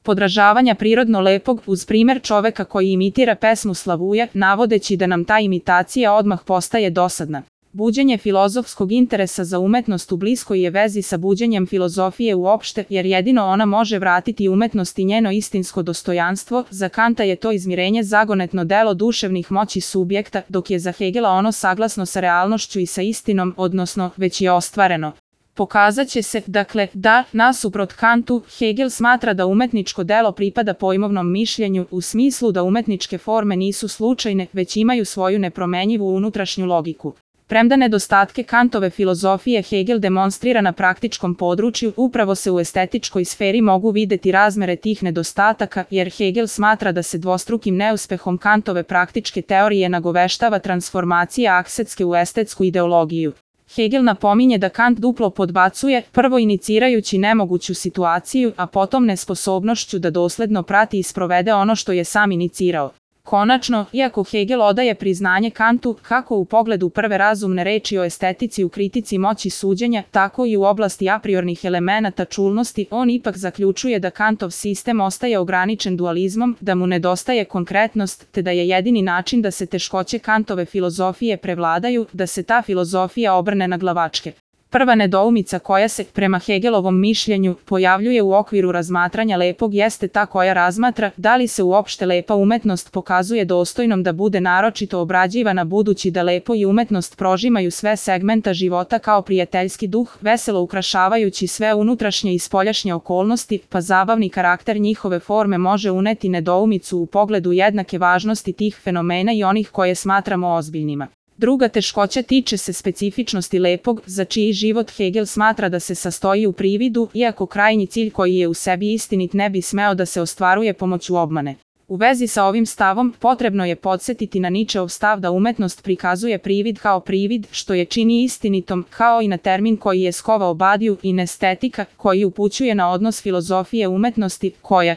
podražavanja prirodno lepog uz primer čoveka koji imitira pesmu Slavuje, navodeći da nam ta imitacija odmah postaje dosadna. Buđenje filozofskog interesa za umetnost u bliskoj je vezi sa buđenjem filozofije uopšte, jer jedino ona može vratiti umetnosti njeno istinsko dostojanstvo. Za Kanta je to izmirenje zagonetno delo duševnih moći subjekta, dok je za Hegela ono saglasno sa realnošću i sa istinom, odnosno već je ostvareno. Pokazaće se, dakle, da, nasuprot Kantu, Hegel smatra da umetničko delo pripada pojmovnom mišljenju, u smislu da umetničke forme nisu slučajne, već imaju svoju nepromenjivu unutrašnju logiku. Premda nedostatke Kantove filozofije Hegel demonstrira na praktičkom području, upravo se u estetičkoj sferi mogu videti razmere tih nedostataka, jer Hegel smatra da se dvostrukim neuspehom Kantove praktičke teorije nagoveštava transformacija aksetske u estetsku ideologiju. Hegel napominje da Kant duplo podbacuje, prvo inicirajući nemoguću situaciju, a potom nesposobnošću da dosledno prati i sprovede ono što je sam inicirao. Konačno, iako Hegel odaje priznanje Kantu, kako u pogledu prve razumne reči o estetici u kritici moći suđenja, tako i u oblasti apriornih elemenata čulnosti, on ipak zaključuje da Kantov sistem ostaje ograničen dualizmom, da mu nedostaje konkretnost, te da je jedini način da se teškoće Kantove filozofije prevladaju, da se ta filozofija obrne na glavačke. Prva nedoumica koja se, prema Hegelovom mišljenju, pojavljuje u okviru razmatranja lepog jeste ta koja razmatra da li se uopšte lepa umetnost pokazuje dostojnom da bude naročito obrađivana, budući da lepo i umetnost prožimaju sve segmenta života kao prijateljski duh, veselo ukrašavajući sve unutrašnje i spoljašnje okolnosti, pa zabavni karakter njihove forme može uneti nedoumicu u pogledu jednake važnosti tih fenomena i onih koje smatramo ozbiljnima. Druga teškoća tiče se specifičnosti lepog, za čiji život Hegel smatra da se sastoji u prividu, iako krajnji cilj koji je u sebi istinit ne bi smeo da se ostvaruje pomoću obmane. U vezi sa ovim stavom, potrebno je podsjetiti na Ničeov stav da umetnost prikazuje privid kao privid, što je čini istinitom, kao i na termin koji je skovao Badiju, inestetika, koji upućuje na odnos filozofije umetnosti, koja